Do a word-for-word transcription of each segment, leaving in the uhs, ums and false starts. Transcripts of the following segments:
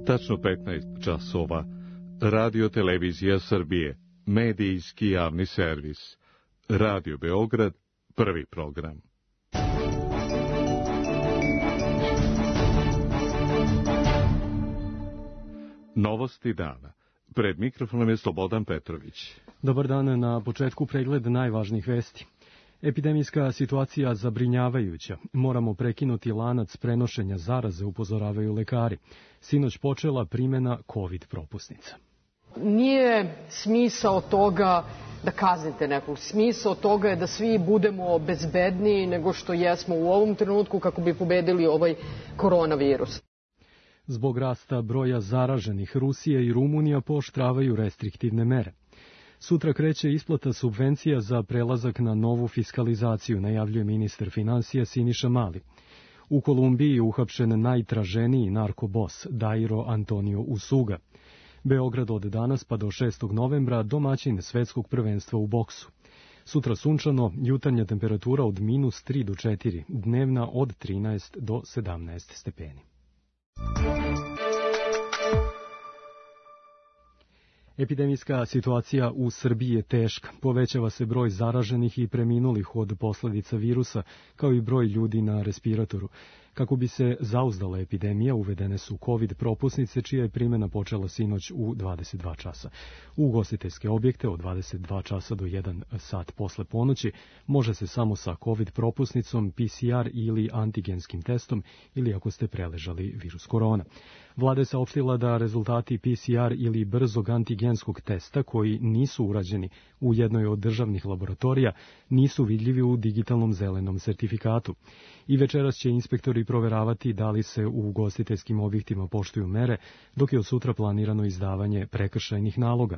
Tačno petnaest časova. Radio Televizija Srbije. Medijski javni servis. Radio Beograd. Prvi program. Novosti dana. Pred mikrofonom je Slobodan Petrović. Dobar dan, na početku pregled najvažnijih vesti. Epidemijska situacija zabrinjavajuća. Moramo prekinuti lanac prenošenja zaraze, upozoravaju lekari. Sinoć počela primjena COVID propusnica. Nije smisao toga da kaznite nekog. Smisao toga je da svi budemo bezbedniji nego što jesmo u ovom trenutku kako bi pobedili ovaj koronavirus. Zbog rasta broja zaraženih, Rusija i Rumunija pooštravaju restriktivne mere. Sutra kreće isplata subvencija za prelazak na novu fiskalizaciju, najavljuje ministar finansija Siniša Mali. U Kolumbiji je uhapšen najtraženiji narkobos Dairo Antonio Usuga. Beograd od danas pa do šestog novembra domaćin svetskog prvenstva u boksu. Sutra sunčano, jutarnja temperatura od minus tri do četiri, dnevna od trinaest do sedamnaest stepeni. Epidemijska situacija u Srbiji je teška. Povećava se broj zaraženih i preminulih od posljedica virusa, kao i broj ljudi na respiratoru. Kako bi se zauzdala epidemija, uvedene su COVID propusnice, čija je primjena počela sinoć u dvadeset dva časa. U ugostiteljske objekte od dvadeset dva časa do jedan sat posle ponoći može se samo sa COVID propusnicom, P C R ili antigenskim testom ili ako ste preležali virus korona. Vlada je saopštila da rezultati P C R ili brzog antigenskog testa koji nisu urađeni u jednoj od državnih laboratorija nisu vidljivi u digitalnom zelenom sertifikatu. I večeras će inspektori proveravati da li se u ugostiteljskim objektima poštuju mere, dok je od sutra planirano izdavanje prekršajnih naloga.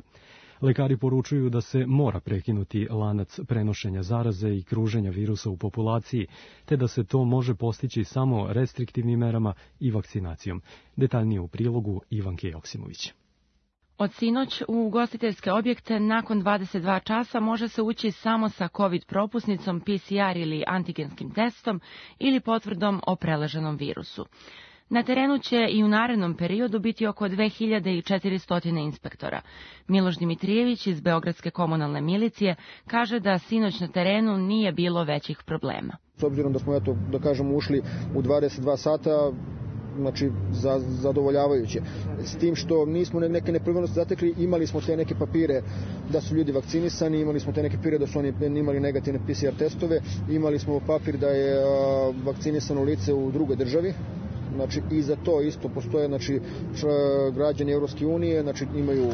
Lekari poručuju da se mora prekinuti lanac prenošenja zaraze i kruženja virusa u populaciji, te da se to može postići samo restriktivnim merama i vakcinacijom. Detaljnije u prilogu Ivanke Joksimović. Od sinoć u ugostiteljske objekte nakon dvadeset dva časa može se ući samo sa COVID propusnicom, P C R ili antigenskim testom ili potvrdom o preleženom virusu. Na terenu će i u narednom periodu biti oko dve hiljade četiristo inspektora. Miloš Dimitrijević iz Beogradske komunalne milicije kaže da sinoć na terenu nije bilo većih problema. S obzirom da smo, eto, da kažemo, ušli u dvadeset dva sata, znači za, zadovoljavajuće. S tim što nismo neke nepravilnosti zatekli, imali smo te neke papire da su ljudi vakcinisani, imali smo te neke papire da su oni imali negativne P C R testove, imali smo papir da je a, vakcinisano lice u drugoj državi. Znači i za to isto postoje, znači građani Evropske unije, znači imaju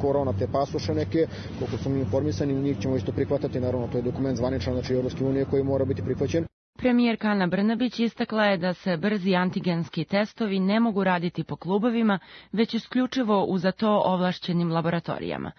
korona te pasoše neke, koliko smo mi informisani, njih ćemo isto prihvatati, naravno to je dokument zvaničan, znači Evropske unije koji mora biti prihvaćen. Premijerka Ana Brnabić istakla je da se brzi antigenski testovi ne mogu raditi po klubovima, već isključivo u za to ovlašćenim laboratorijama.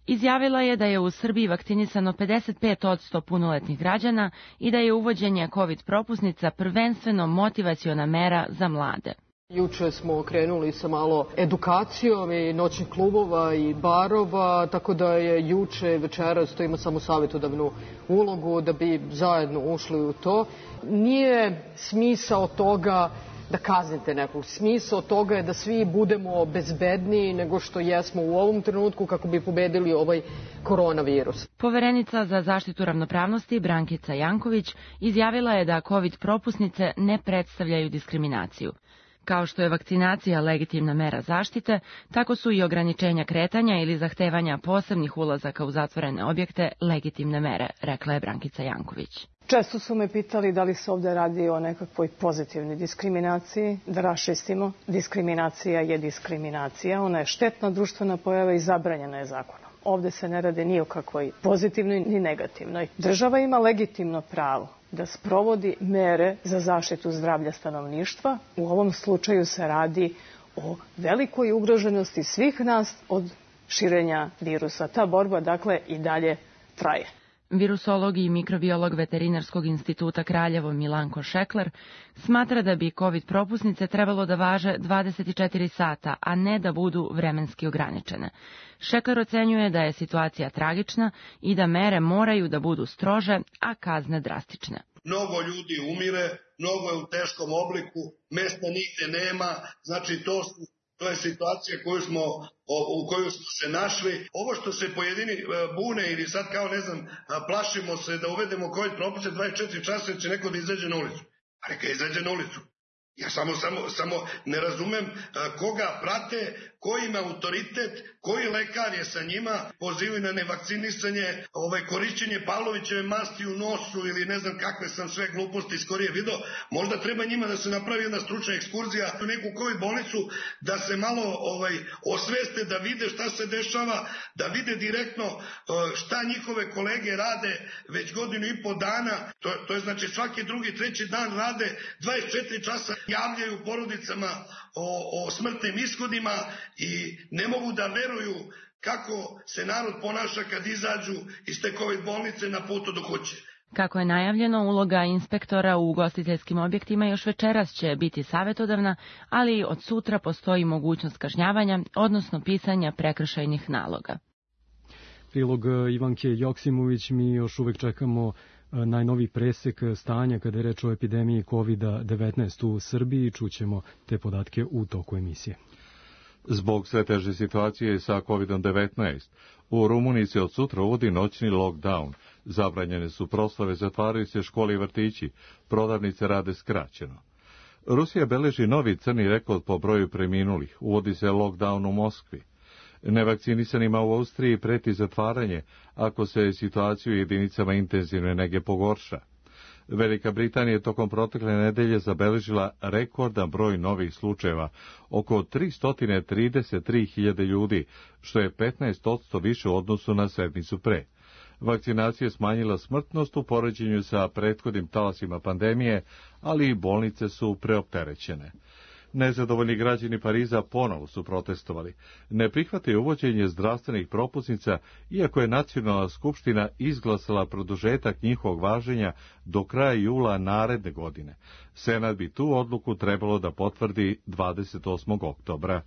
Izjavila je da je u Srbiji vakcinisano pedeset pet posto punoletnih građana i da je uvođenje COVID propusnica prvenstveno motivaciona mera za mlade. Juče smo krenuli sa malo edukacijom i noćnih klubova i barova, tako da je juče večeras to ima samo savjetodavnu ulogu da bi zajedno ušli u to. Nije smisao toga da kaznite nekog. Smisao toga je da svi budemo bezbedniji nego što jesmo u ovom trenutku kako bi pobedili ovaj koronavirus. Poverenica za zaštitu ravnopravnosti Brankica Janković izjavila je da COVID propusnice ne predstavljaju diskriminaciju. Kao što je vakcinacija legitimna mera zaštite, tako su i ograničenja kretanja ili zahtevanja posebnih ulazaka u zatvorene objekte legitimne mere, rekla je Brankica Janković. Često su me pitali da li se ovdje radi o nekakvoj pozitivnoj diskriminaciji. Da raščistimo, diskriminacija je diskriminacija, ona je štetna društvena pojava i zabranjena je zakonom. Ovdje se ne radi ni o kakvoj pozitivnoj ni negativnoj. Država ima legitimno pravo da sprovodi mere za zaštitu zdravlja stanovništva. U ovom slučaju se radi o velikoj ugroženosti svih nas od širenja virusa. Ta borba, dakle, i dalje traje. Virusolog i mikrobiolog Veterinarskog instituta Kraljevo Milanko Šekler smatra da bi COVID propusnice trebalo da važe dvadeset četiri sata, a ne da budu vremenski ograničene. Šekler ocenjuje da je situacija tragična i da mere moraju da budu strože, a kazne drastične. Mnogo ljudi umire, mnogo je u teškom obliku, mesta nigde nema, znači to su To je situacija koju smo, u kojoj smo se našli. Ovo što se pojedini bune ili sad kao ne znam, plašimo se da uvedemo COVID propise dvadeset četiri časa će neko da izađe na ulicu. A neka izađe na ulicu. Ja samo, samo, samo ne razumem koga prate, koji ima autoritet, koji lekar je sa njima, pozivaju na nevakcinisanje, ovaj, korišćenje Pavlovićeve masti u nosu ili ne znam kakve sam sve gluposti skorije video. Možda treba njima da se napravi jedna stručna ekskurzija u neku COVID bolnicu, da se malo ovaj, osveste, da vide šta se dešava, da vide direktno šta njihove kolege rade već godinu i po dana. To, to je znači svaki drugi, treći dan rade dvadeset četiri časa, javljaju porodicama o, o smrtnim ishodima i ne mogu da veruju kako se narod ponaša kad izađu iz te COVID bolnice na putu do kuće. Kako je najavljeno, uloga inspektora u ugostiteljskim objektima još večeras će biti savjetodavna, ali od sutra postoji mogućnost kažnjavanja, odnosno pisanja prekršajnih naloga. Prilog Ivanke Joksimović, mi još uvek čekamo najnoviji presek stanja kada je reč o epidemiji kovid devetnaest u Srbiji. Čućemo te podatke u toku emisije. Zbog sve teže situacije sa kovid devetnaest, u Rumuniji se od sutra uvodi noćni lockdown. Zabranjene su proslave, zatvaraju se škole i vrtići, prodavnice rade skraćeno. Rusija beleži novi crni rekord po broju preminulih, uvodi se lockdown u Moskvi. Nevakcinisanima u Austriji preti zatvaranje ako se situacija u jedinicama intenzivne nege pogorša. Velika Britanija je tokom protekle nedelje zabeležila rekordan broj novih slučajeva, oko tristo trideset tri hiljade ljudi, što je petnaest posto više u odnosu na sedmicu pre. Vakcinacija je smanjila smrtnost u poređenju sa prethodnim talasima pandemije, ali i bolnice su preopterećene. Nezadovoljni građani Pariza ponovo su protestovali. Ne prihvataju uvođenje zdravstvenih propusnica, iako je Nacionalna skupština izglasala produžetak njihovog važenja do kraja jula naredne godine. Senat bi tu odluku trebalo da potvrdi dvadeset osmog oktobra.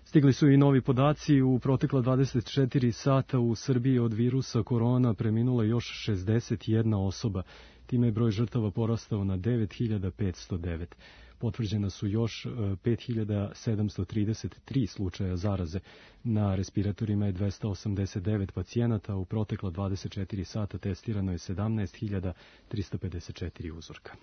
Stigli su i novi podaci. U protekla dvadeset četiri sata u Srbiji od virusa korona preminula još šezdeset jedna osoba. Time je broj žrtava porastao na devet hiljada petsto devet. Potvrđena su još pet hiljada sedamsto trideset tri slučaja zaraze. Na respiratorima je dvesta osamdeset devet pacijenata, u protekla dvadeset četiri sata testirano je sedamnaest hiljada tristo pedeset četiri uzorka.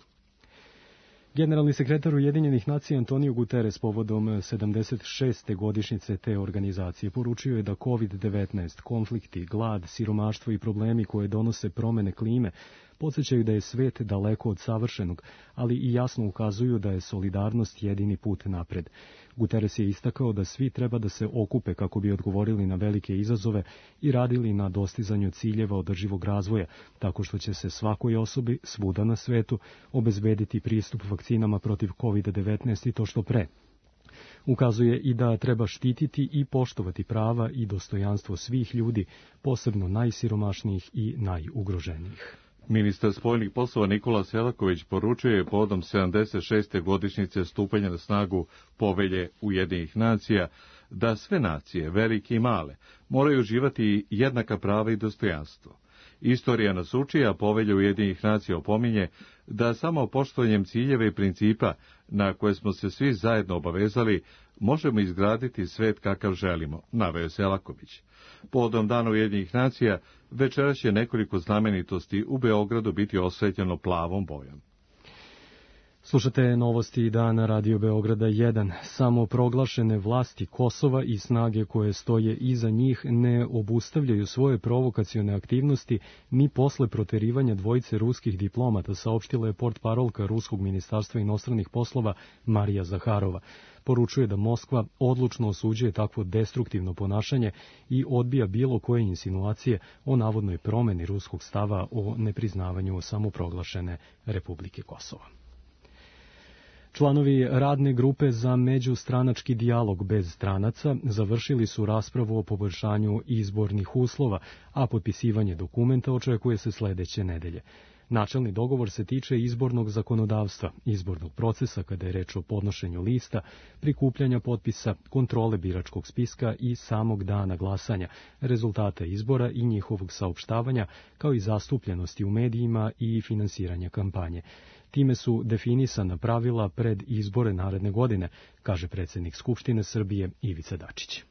Generalni sekretar Ujedinjenih nacija Antonio Guterres povodom sedamdeset šeste godišnjice te organizacije poručio je da kovid devetnaest, konflikti, glad, siromaštvo i problemi koje donose promene klime podsjećaju da je svet daleko od savršenog, ali i jasno ukazuju da je solidarnost jedini put napred. Guterres je istakao da svi treba da se okupe kako bi odgovorili na velike izazove i radili na dostizanju ciljeva održivog razvoja, tako što će se svakoj osobi svuda na svetu obezbediti pristup vakcinama protiv kovid devetnaest i to što pre. Ukazuje i da treba štititi i poštovati prava i dostojanstvo svih ljudi, posebno najsiromašnijih i najugroženijih. Ministar spoljnih poslova Nikola Selaković poručuje povodom sedamdeset šeste godišnjice stupanja na snagu Povelje Ujedinjenih nacija da sve nacije, velike i male, moraju uživati jednaka prava i dostojanstvo. Istorija nas uči, a Povelja Ujedinjenih nacija opominje da samo poštovanjem ciljeva i principa na koje smo se svi zajedno obavezali možemo izgraditi svet kakav želimo, naveo Selaković. Povodom Dana Ujedinjenih nacija večeras će nekoliko znamenitosti u Beogradu biti osvetljeno plavom bojom. Slušate novosti dana Radio Beograda jedan. Samo proglašene vlasti Kosova i snage koje stoje iza njih ne obustavljaju svoje provokacione aktivnosti ni posle proterivanja dvojice ruskih diplomata, saopštila je portparolka Ruskog ministarstva inostranih poslova Marija Zaharova. Poručuje da Moskva odlučno osuđuje takvo destruktivno ponašanje i odbija bilo koje insinuacije o navodnoj promeni ruskog stava o nepriznavanju samoproglašene Republike Kosova. Članovi radne grupe za međustranački dijalog bez stranaca završili su raspravu o poboljšanju izbornih uslova, a potpisivanje dokumenta očekuje se sledeće nedelje. Načelni dogovor se tiče izbornog zakonodavstva, izbornog procesa kada je reč o podnošenju lista, prikupljanja potpisa, kontrole biračkog spiska i samog dana glasanja, rezultata izbora i njihovog saopštavanja, kao i zastupljenosti u medijima i finansiranja kampanje. Time su definisana pravila pred izbore naredne godine, kaže predsjednik Skupštine Srbije Ivica Dačić.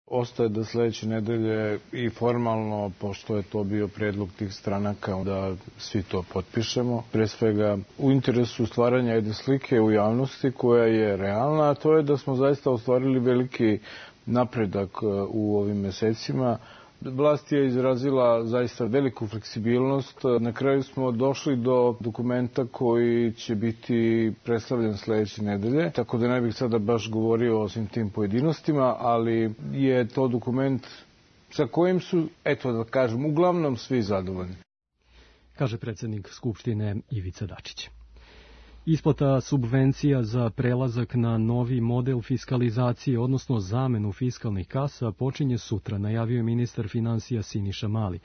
Ostaje da sledeće nedelje i formalno, pošto je to bio predlog tih stranaka, da svi to potpišemo. Pre svega u interesu stvaranja jedne slike u javnosti koja je realna, a to je da smo zaista ostvarili veliki napredak u ovim mesecima. Vlast je izrazila zaista veliku fleksibilnost. Na kraju smo došli do dokumenta koji će biti predstavljen sledeće nedelje, tako da ne bih sada baš govorio o svim tim pojedinostima, ali je to dokument sa kojim su, eto da kažem, uglavnom svi zadovoljni. Kaže predsjednik Skupštine Ivica Dačić. Isplata subvencija za prelazak na novi model fiskalizacije, odnosno zamenu fiskalnih kasa, počinje sutra, najavio je ministar finansija Siniša Mali.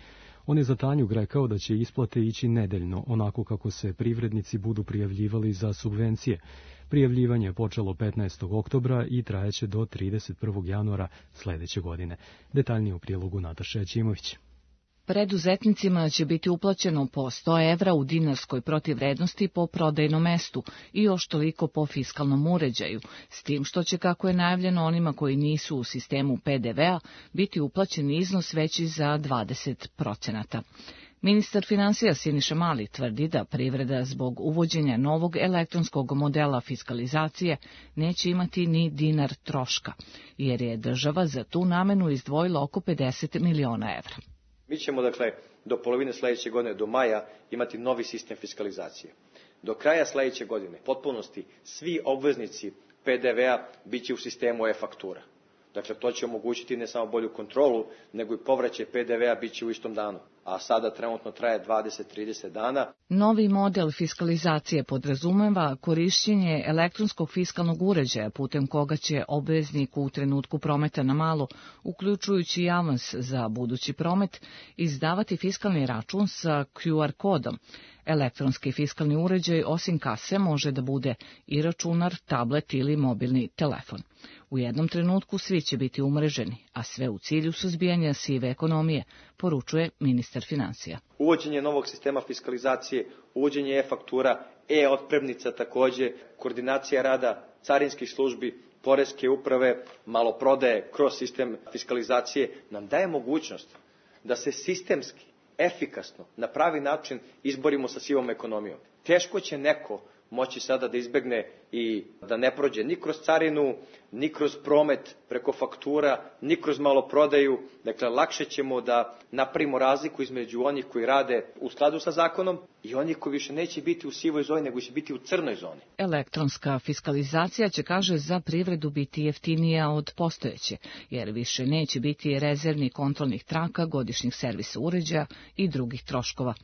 On je za Tanjug rekao da će isplate ići nedeljno, onako kako se privrednici budu prijavljivali za subvencije. Prijavljivanje je počelo petnaestog oktobra i trajeće do trideset prvog januara sledeće godine. Detaljnije u prilogu Nataša Ćimović. Preduzetnicima će biti uplaćeno po sto evra u dinarskoj protivvrednosti po prodajnom mestu i još toliko po fiskalnom uređaju, s tim što će, kako je najavljeno onima koji nisu u sistemu P D V-a, biti uplaćen iznos veći za dvadeset procenata. Ministar finansija Siniša Mali tvrdi da privreda zbog uvođenja novog elektronskog modela fiskalizacije neće imati ni dinar troška, jer je država za tu namenu izdvojila oko pedeset miliona evra. Mi ćemo, dakle, do polovine sledeće godine, do maja, imati novi sistem fiskalizacije. Do kraja sledeće godine, potpunosti, svi obveznici P D V-a bit će u sistemu e-faktura. Dakle, to će omogućiti ne samo bolju kontrolu, nego i povraćaj P D V-a bit će u istom danu, a sada trenutno traje dvadeset do trideset dana. Novi model fiskalizacije podrazumeva korišćenje elektronskog fiskalnog uređaja putem koga će obveznik u trenutku prometa na malo, uključujući i avans za budući promet, izdavati fiskalni račun sa Q R kodom. Elektronski fiskalni uređaj osim kase može da bude i računar, tablet ili mobilni telefon. U jednom trenutku svi će biti umreženi, a sve u cilju suzbijanja sive ekonomije, poručuje ministar finansija. Uvođenje novog sistema fiskalizacije, uvođenje e-faktura, e-otpremnica takođe, koordinacija rada carinskih službi, poreske uprave, maloprodaje kroz sistem fiskalizacije nam daje mogućnost da se sistemski, efikasno, na pravi način izborimo sa sivom ekonomijom. Teško će neko moći sada da izbegne i da ne prođe ni kroz carinu, ni kroz promet preko faktura, ni kroz maloprodaju. Dakle, lakše ćemo da napravimo razliku između onih koji rade u skladu sa zakonom i onih koji više neće biti u sivoj zoni, nego će biti u crnoj zoni. Elektronska fiskalizacija će, kaže, za privredu biti jeftinija od postojeće, jer više neće biti rezervnih kontrolnih traka, godišnjih servisa uređaja i drugih troškova.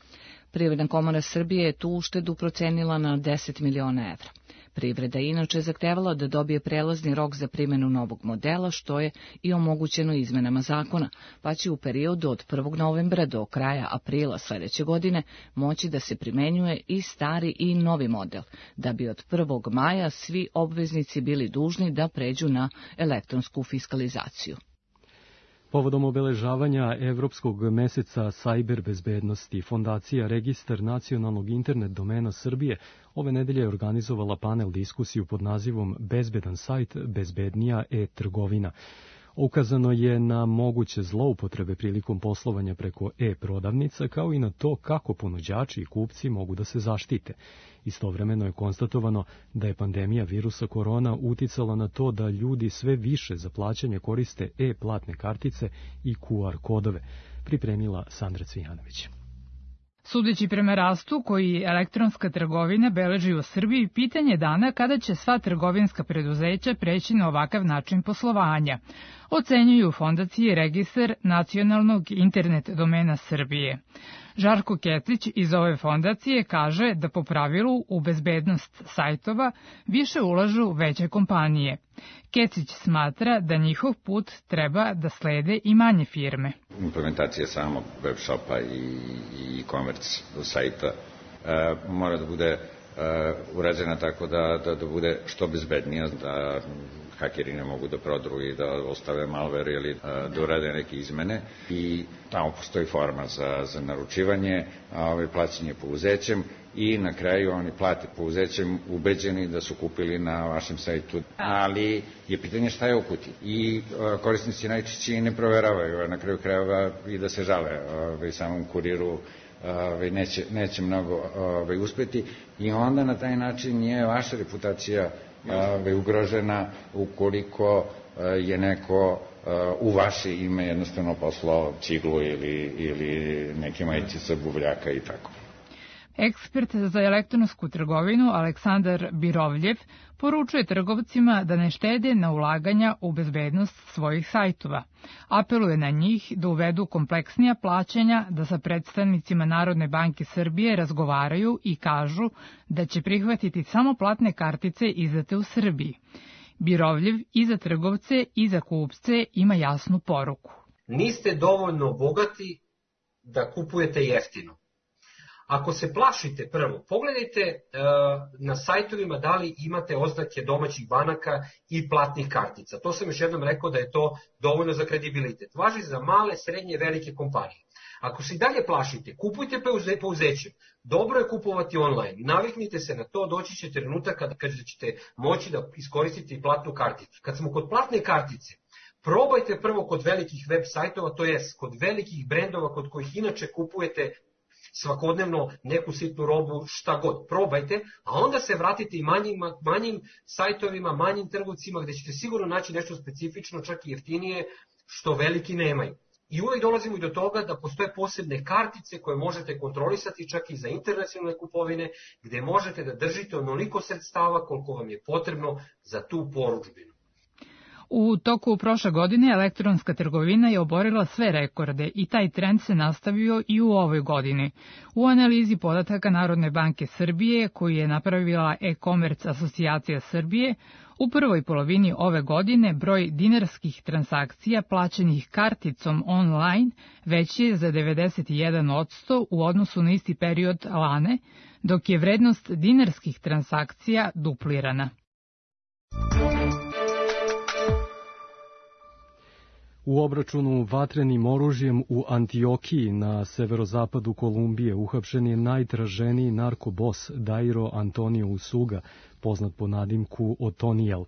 Privredna komora Srbije je tu uštedu procenila na deset miliona evra. Privreda je inače zahtevala da dobije prelazni rok za primjenu novog modela, što je i omogućeno izmenama zakona, pa će u periodu od prvog novembra do kraja aprila sledeće godine moći da se primenjuje i stari i novi model, da bi od prvog maja svi obveznici bili dužni da pređu na elektronsku fiskalizaciju. Povodom obeležavanja Evropskog meseca sajber bezbednosti, Fondacija Registar nacionalnog internet domena Srbije ove nedelje je organizovala panel diskusiju pod nazivom Bezbedan sajt, bezbednija e-trgovina. Ukazano je na moguće zloupotrebe prilikom poslovanja preko e-prodavnica, kao i na to kako ponuđači i kupci mogu da se zaštite. Istovremeno je konstatovano da je pandemija virusa korona uticala na to da ljudi sve više za plaćanje koriste e-platne kartice i Q R kodove, pripremila Sandra Cvijanović. Sudeći prema rastu koji elektronska trgovina beleži u Srbiji, pitanje dana kada će sva trgovinska preduzeća preći na ovakav način poslovanja, ocenjuju Fondacije Registar nacionalnog internet domena Srbije. Žarko Ketić iz ove fondacije kaže da po pravilu u bezbednost sajtova više ulažu veće kompanije. Ketić smatra da njihov put treba da slede i manje firme. Implementacija samog web shopa i e-commerce sajta e, mora da bude e, urađena tako da, da, da bude što bezbednija, da hakeri ne mogu da prodru i da ostave malware ili da urade neke izmene. I tamo postoji forma za, za naručivanje, a ovaj plaćanje pouzećem i na kraju oni plate pouzećem ubeđeni da su kupili na vašem sajtu. Ali je pitanje šta je u kutiji. I korisnici najčešće ne proveravaju, na kraju krajeva i da se žale ovaj, samom kuriru, ovaj, neće, neće mnogo ovaj, uspeti i onda na taj način je vaša reputacija ovaj, ugrožena ukoliko je neko u vaše ime jednostavno poslao ciglu ili, ili neke majice sa buvljaka i tako. Ekspert za elektronsku trgovinu Aleksandar Birovljev poručuje trgovcima da ne štede na ulaganja u bezbednost svojih sajtova. Apeluje na njih da uvedu kompleksnija plaćanja, da sa predstavnicima Narodne banke Srbije razgovaraju i kažu da će prihvatiti samo platne kartice izdate u Srbiji. Birovljev i za trgovce i za kupce ima jasnu poruku. Niste dovoljno bogati da kupujete jeftino. Ako se plašite prvo, pogledajte uh, na sajtovima da li imate oznake domaćih banaka i platnih kartica. To sam još jednom rekao da je to dovoljno za kredibilitet. Važi za male, srednje, velike kompanije. Ako se i dalje plašite, kupujte pouzećem. Dobro je kupovati online. Naviknite se na to, doći će trenutak kada, kada ćete moći da iskoristite i platnu karticu. Kad smo kod platne kartice, probajte prvo kod velikih web sajtova, to jest kod velikih brendova kod kojih inače kupujete svakodnevno neku sitnu robu, šta god, probajte, a onda se vratite i manjim, manjim sajtovima, manjim trgovcima gde ćete sigurno naći nešto specifično, čak i jeftinije, što veliki nemaju. I uvek dolazimo i do toga da postoje posebne kartice koje možete kontrolisati čak i za internacionalne kupovine, gde možete da držite onoliko sredstava koliko vam je potrebno za tu porudžbinu. U toku prošle godine elektronska trgovina je oborila sve rekorde i taj trend se nastavio i u ovoj godini. U analizi podataka Narodne banke Srbije, koju je napravila e-commerce asocijacija Srbije, u prvoj polovini ove godine broj dinarskih transakcija plaćenih karticom online veći je za devedeset jedan posto u odnosu na isti period lane, dok je vrednost dinarskih transakcija duplirana. U obračunu vatrenim oružjem u Antiokiji na severozapadu Kolumbije uhapšen je najtraženiji narkobos Dairo Antonio Usuga, poznat po nadimku Otoniel.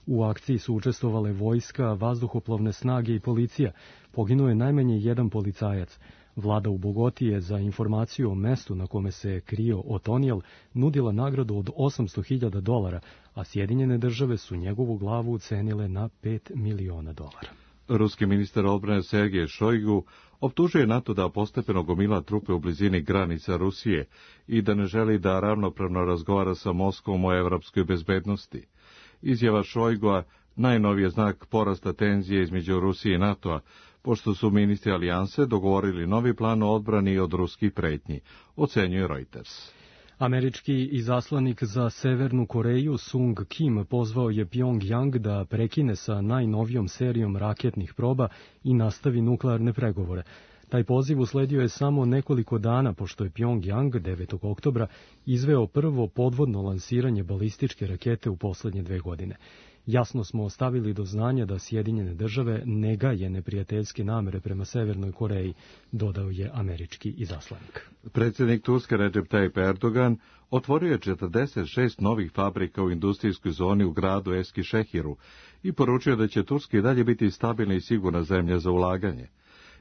U akciji su učestvovale vojska, vazduhoplovne snage i policija. Poginuo je najmanje jedan policajac. Vlada u Bogoti je za informaciju o mestu na kome se krio Otoniel nudila nagradu od osamsto hiljada dolara, a Sjedinjene države su njegovu glavu ucenile na pet miliona dolara. Ruski ministar odbrane Sergej Šojgu optužuje NATO da postepeno gomila trupe u blizini granica Rusije i da ne želi da ravnopravno razgovara sa Moskvom o evropskoj bezbednosti. Izjava Šojgua najnoviji je znak porasta tenzije između Rusije i NATO-a, pošto su ministri alijanse dogovorili novi plan o odbrani od ruskih pretnji, ocenjuje Reuters. Američki izaslanik za Severnu Koreju Sung Kim pozvao je Pjongjang da prekine sa najnovijom serijom raketnih proba i nastavi nuklearne pregovore. Taj poziv usledio je samo nekoliko dana pošto je Pjongjang devetog oktobra izveo prvo podvodno lansiranje balističke rakete u poslednje dve godine. Jasno smo ostavili do znanja da Sjedinjene države ne gaje neprijateljske namere prema Severnoj Koreji, dodao je američki izaslanik. Predsjednik Turske Recep Tayyip Erdogan otvorio je četrdeset šest novih fabrika u industrijskoj zoni u gradu Eskişehiru i poručio da će Turska i dalje biti stabilna i sigurna zemlja za ulaganje.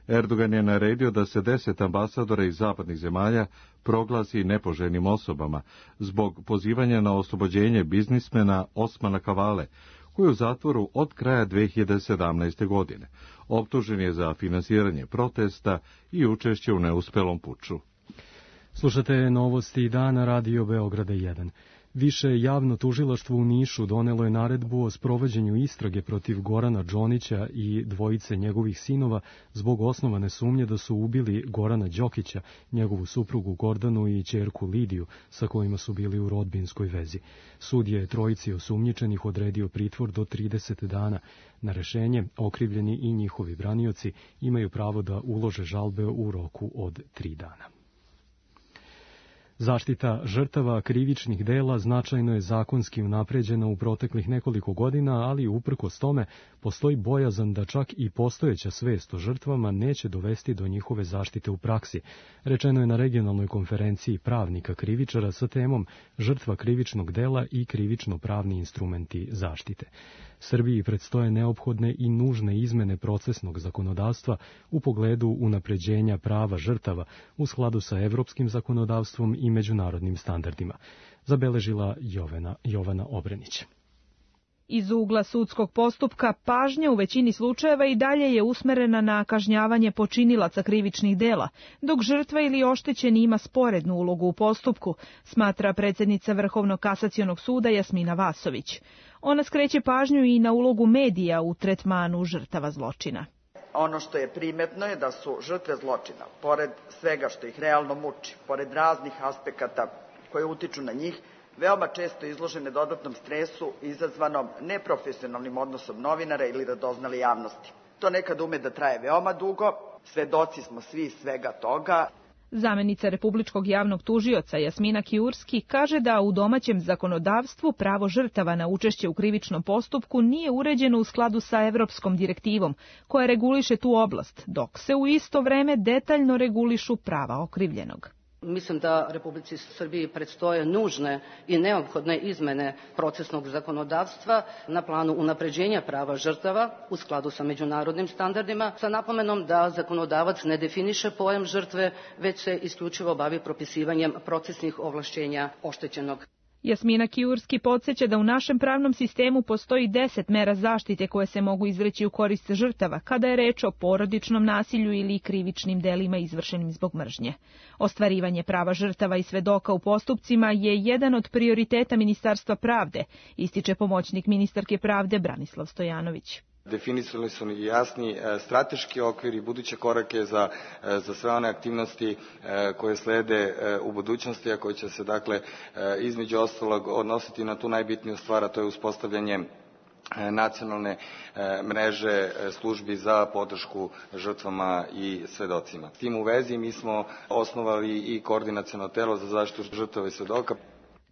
Erdogan je naredio da se deset ambasadora iz zapadnih zemalja proglasi nepoželjnim osobama zbog pozivanja na oslobođenje biznismena Osmana Kavale, koji je u zatvoru od kraja dve hiljade sedamnaeste. godine. Optužen je za finansiranje protesta i učešće u neuspelom puču. Slušate novosti dana Radio Beograda jedan. Više javno tužilaštvo u Nišu donelo je naredbu o sprovođenju istrage protiv Gorana Džonića i dvojice njegovih sinova zbog osnovane sumnje da su ubili Gorana Đokića, njegovu suprugu Gordanu i ćerku Lidiju, sa kojima su bili u rodbinskoj vezi. Sud je trojici osumnjičenih odredio pritvor do trideset dana. Na rešenje okrivljeni i njihovi branioci imaju pravo da ulože žalbe u roku od tri dana. Zaštita žrtava krivičnih dela značajno je zakonski unapređena u proteklih nekoliko godina, ali uprkos tome postoji bojazan da čak i postojeća svest o žrtvama neće dovesti do njihove zaštite u praksi. Rečeno je na regionalnoj konferenciji pravnika krivičara sa temom žrtva krivičnog dela i krivično-pravni instrumenti zaštite. Srbiji predstoje neophodne i nužne izmene procesnog zakonodavstva u pogledu unapređenja prava žrtava u skladu sa evropskim zakonodavstvom i međunarodnim standardima, zabeležila Jovana, Jovana Obrenić. Iz ugla sudskog postupka pažnja u većini slučajeva i dalje je usmerena na kažnjavanje počinilaca krivičnih dela, dok žrtva ili oštećeni ima sporednu ulogu u postupku, smatra predsjednica Vrhovnog kasacionog suda Jasmina Vasović. Ona skreće pažnju i na ulogu medija u tretmanu žrtava zločina. Ono što je primetno je da su žrtve zločina, pored svega što ih realno muči, pored raznih aspekata koje utiču na njih, veoma često izložene dodatnom stresu izazvanom neprofesionalnim odnosom novinara ili radoznale javnosti. To nekad ume da traje veoma dugo, svedoci smo svi svega toga. Zamenica Republičkog javnog tužioca Jasmina Kiurski kaže da u domaćem zakonodavstvu pravo žrtava na učešće u krivičnom postupku nije uređeno u skladu sa Evropskom direktivom, koja reguliše tu oblast, dok se u isto vreme detaljno regulišu prava okrivljenog. Mislim da Republici Srbiji predstoje nužne i neophodne izmene procesnog zakonodavstva na planu unapređenja prava žrtava u skladu sa međunarodnim standardima, sa napomenom da zakonodavac ne definiše pojam žrtve, već se isključivo bavi propisivanjem procesnih ovlašćenja oštećenog. Jasmina Kiurski podsjeća da u našem pravnom sistemu postoji deset mera zaštite koje se mogu izreći u korist žrtava kada je reč o porodičnom nasilju ili krivičnim delima izvršenim zbog mržnje. Ostvarivanje prava žrtava i svedoka u postupcima je jedan od prioriteta Ministarstva pravde, ističe pomoćnik ministarke pravde Branislav Stojanović. Definisali su i jasni strateški okvir i buduće korake za, za sve one aktivnosti koje slede u budućnosti, a koje će se dakle između ostalog odnositi na tu najbitniju stvar, a to je uspostavljanje nacionalne mreže službi za podršku žrtvama i svedocima. S tim u vezi mi smo osnovali i koordinaciono telo za zaštitu žrtava i svedoka.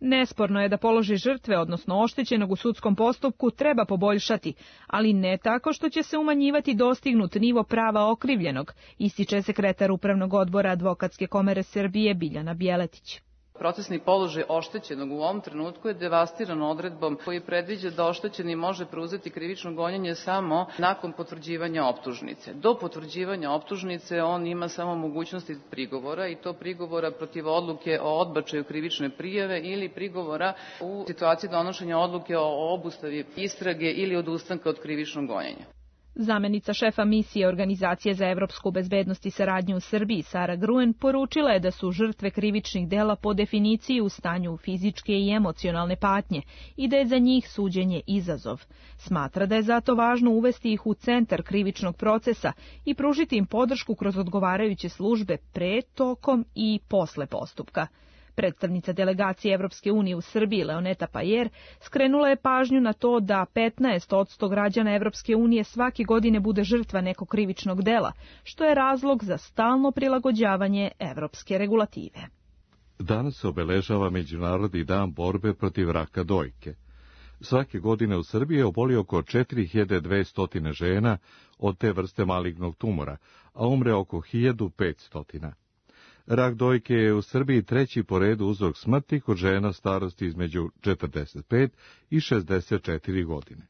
Nesporno je da položaj žrtve, odnosno oštećenog u sudskom postupku, treba poboljšati, ali ne tako što će se umanjivati dostignut nivo prava okrivljenog, ističe sekretar Upravnog odbora Advokatske komore Srbije Biljana Bjeletić. Procesni položaj oštećenog u ovom trenutku je devastiran odredbom koji predviđa da oštećeni može preuzeti krivično gonjenje samo nakon potvrđivanja optužnice. Do potvrđivanja optužnice on ima samo mogućnosti prigovora, i to prigovora protiv odluke o odbačaju krivične prijave ili prigovora u situaciji donošenja odluke o obustavi istrage ili odustanka od krivičnog gonjenja. Zamenica šefa misije Organizacije za evropsku bezbednost i saradnju u Srbiji, Sara Gruen, poručila je da su žrtve krivičnih dela po definiciji u stanju fizičke i emocionalne patnje i da je za njih suđenje izazov. Smatra da je zato važno uvesti ih u centar krivičnog procesa i pružiti im podršku kroz odgovarajuće službe pre, tokom i posle postupka. Predstavnica delegacije Evropske unije u Srbiji, Leoneta Pajer, skrenula je pažnju na to da petnaest posto građana Evropske unije svake godine bude žrtva nekog krivičnog dela, što je razlog za stalno prilagođavanje evropske regulative. Danas se obeležava Međunarodni dan borbe protiv raka dojke. Svake godine u Srbiji oboli oko četiri hiljade dvesta žena od te vrste malignog tumora, a umre oko hiljadu petsto. Rak dojke je u Srbiji treći po redu uzrok smrti kod žena starosti između četrdeset pet i šezdeset četiri godine.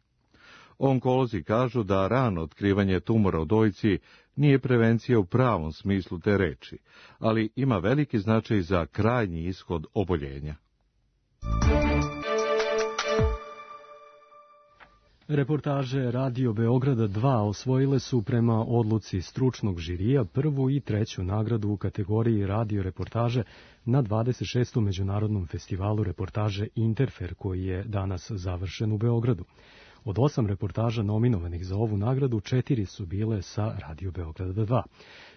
Onkolozi kažu da rano otkrivanje tumora u dojci nije prevencija u pravom smislu te reči, ali ima veliki značaj za krajnji ishod oboljenja. Reportaže Radio Beograda dva osvojile su prema odluci stručnog žirija prvu i treću nagradu u kategoriji radio reportaže na dvadeset šestom Međunarodnom festivalu reportaže Interfer, koji je danas završen u Beogradu. Od osam reportaža nominovanih za ovu nagradu, četiri su bile sa Radio Beograda dva.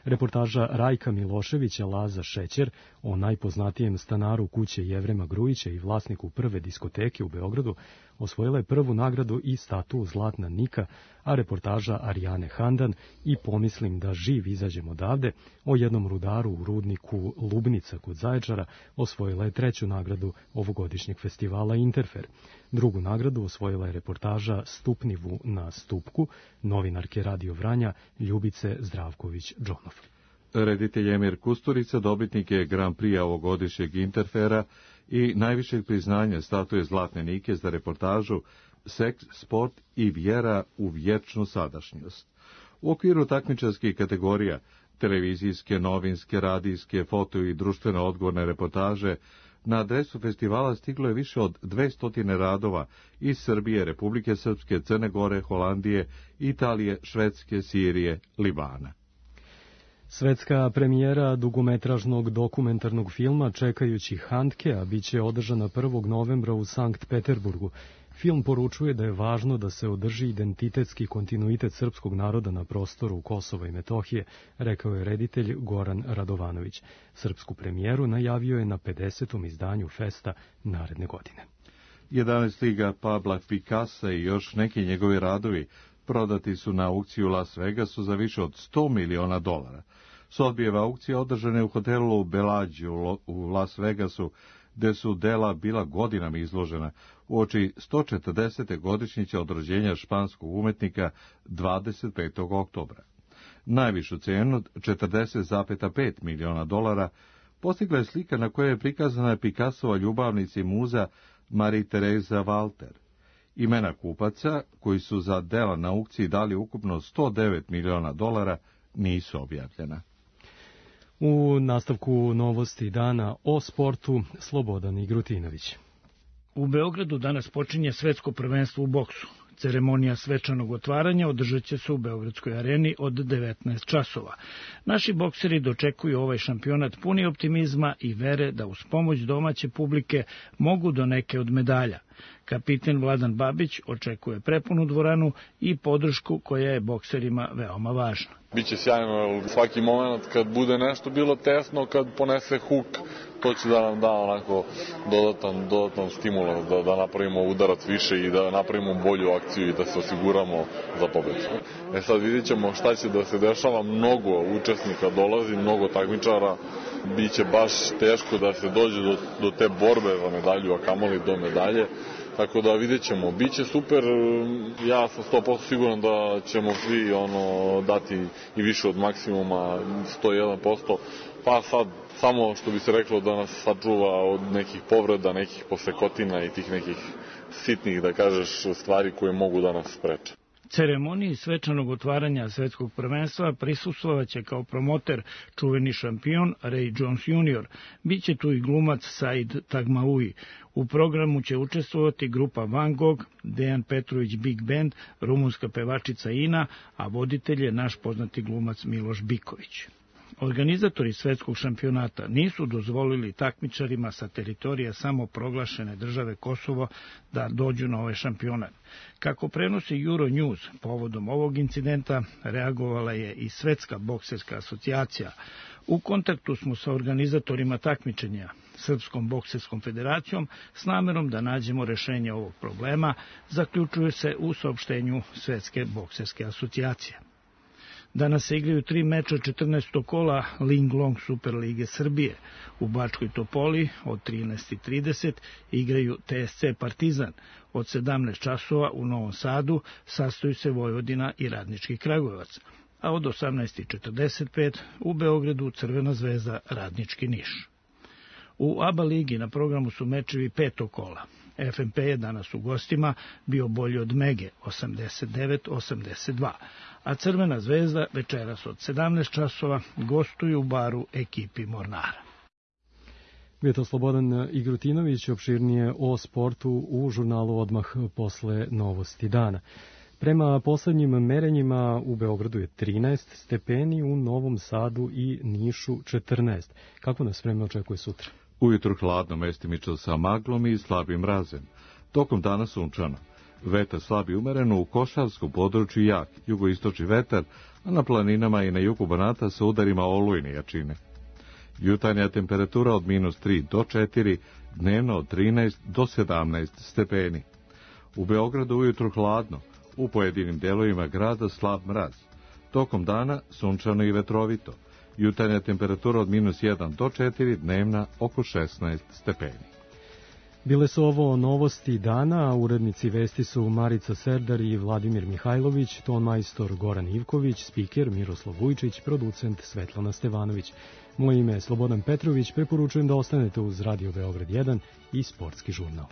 Reportaža Rajka Miloševića Laza Šećer o najpoznatijem stanaru kuće Jevrema Grujića i vlasniku prve diskoteke u Beogradu osvojila je prvu nagradu i statu Zlatna Nika, a reportaža Arijane Handan i Pomislim da živ izađem odavde o jednom rudaru u rudniku Lubnica kod Zaječara osvojila je treću nagradu ovogodišnjeg festivala Interfer. Drugu nagradu osvojila je reportaža Stupnivu na Stupku novinarke Radio Vranja Ljubice Zdravković-Džonov. Reditelj Emir Kusturica dobitnik je Grand Prix ovogodišnjeg Interfera i najvišeg priznanja statuje Zlatne Nike za reportažu Seks, sport i vjera u vječnu sadašnjost. U okviru takmičarskih kategorija televizijske, novinske, radijske, foto i društveno odgovorne reportaže na adresu festivala stiglo je više od dvesta radova iz Srbije, Republike Srpske, Crne Gore, Holandije, Italije, Švedske, Sirije, Libana. Svetska premijera dugometražnog dokumentarnog filma Čekajući Handkea biće održana prvog novembra u Sankt Peterburgu. Film poručuje da je važno da se održi identitetski kontinuitet srpskog naroda na prostoru Kosova i Metohije, rekao je reditelj Goran Radovanović. Srpsku premijeru najavio je na pedesetom izdanju festa naredne godine. jedanaest liga Pabla Picassa i još neki njegovi radovi prodati su na aukciju u Las Vegasu za više od sto miliona dolara. Sotbijeva aukcija održana je u hotelu Bellagio u Las Vegasu, gde su dela bila godinama izložena uoči sto četrdesete godišnjice od rođenja španskog umetnika dvadeset petog oktobra. Najvišu cenu od četrdeset zarez pet miliona dolara postigla je slika na kojoj je prikazana Picassova ljubavnica i muza Marie-Teresa Walter. Imena kupaca, koji su za dela na aukciji dali ukupno sto devet miliona dolara, nisu objavljena. U nastavku novosti dana o sportu Slobodan Igrutinović. U Beogradu danas počinje svetsko prvenstvo u boksu. Ceremonija svečanog otvaranja održat će se u Beogradskoj areni od devetnaest časova. Naši bokseri dočekuju ovaj šampionat puni optimizma i vere da uz pomoć domaće publike mogu do neke od medalja. Kapiten Vladan Babić očekuje prepunu dvoranu i podršku koja je bokserima veoma važna. Biće sjajno svaki moment kad bude nešto bilo tesno, kad ponese huk, to će da nam da onako dodatan, dodatan stimulans, da, da napravimo udarac više i da napravimo bolju akciju i da se osiguramo za pobedu. E sad vidit ćemo šta će da se dešava, mnogo učesnika dolazi, mnogo takmičara, biće baš teško da se dođe do, do te borbe za medalju, a kamoli do medalje. Tako da vidjet ćemo, biće super, ja sam sto posto siguran da ćemo svi ono dati i više od maksimuma, sto jedan posto, pa sad samo što bi se reklo da nas sačuva od nekih povreda, nekih posekotina i tih nekih sitnih, da kažeš, stvari koje mogu da nas spreče. Ceremoniji svečanog otvaranja svetskog prvenstva prisustvovaće kao promoter čuveni šampion Ray Jones junior Biće tu i glumac Said Tagmaoui. U programu će učestvovati grupa Van Gogh, Dejan Petrović Big Band, rumunska pevačica Ina, a voditelj je naš poznati glumac Miloš Biković. Organizatori svetskog šampionata nisu dozvolili takmičarima sa teritorija samoproglašene države Kosovo da dođu na ovaj šampionat. Kako prenosi Euronews, povodom ovog incidenta reagovala je i Svetska bokserska asocijacija. U kontaktu smo sa organizatorima takmičenja, Srpskom bokserskom federacijom, s namerom da nađemo rešenje ovog problema, zaključuje se u saopštenju Svetske bokserske asocijacije. Danas se igraju tri meča četrnaestog kola Ling Long Super Lige Srbije. U Bačkoj Topoli od trinaest i trideset igraju T S C Partizan. Od sedamnaest časova u Novom Sadu sastoju se Vojvodina i Radnički Kragujevac. A od osamnaest i četrdeset pet u Beogradu Crvena zvezda Radnički Niš. U A B A ligi na programu su mečevi petog kola. F M P je danas u gostima bio bolji od Mege osamdeset devet osamdeset dva, a Crvena zvezda večeras od sedamnaest časova gostuju u Baru ekipi Mornara. Bio to Slobodan Igrutinović, opširnije o sportu u žurnalu odmah posle novosti dana. Prema poslednjim merenjima u Beogradu je trinaest stepeni, u Novom Sadu i Nišu četrnaest. Kako nas vreme očekuje sutra? Ujutru hladno, mestimično sa maglom i slabim mrazem. Tokom dana sunčano. Vetar slab i umeren, u košarskom području jak, jugoistočni vetar, a na planinama i na jugu Banata sa udarima olujne jačine. Jutarnja temperatura od minus tri do četiri, dnevno od trinaest do sedamnaest stepeni. U Beogradu ujutru hladno, u pojedinim delovima grada slab mraz. Tokom dana sunčano i vetrovito. Jutarnja temperatura od minus jedan do četiri, dnevna oko šesnaest stepeni. Bile su ovo novosti dana, a urednici vesti su Marica Serdar i Vladimir Mihajlović, ton majstor Goran Ivković, spiker Miroslav Vujčić, producent Svetlana Stevanović. Moje ime je Slobodan Petrović, preporučujem da ostanete uz Radio Beograd jedan i Sportski žurnal.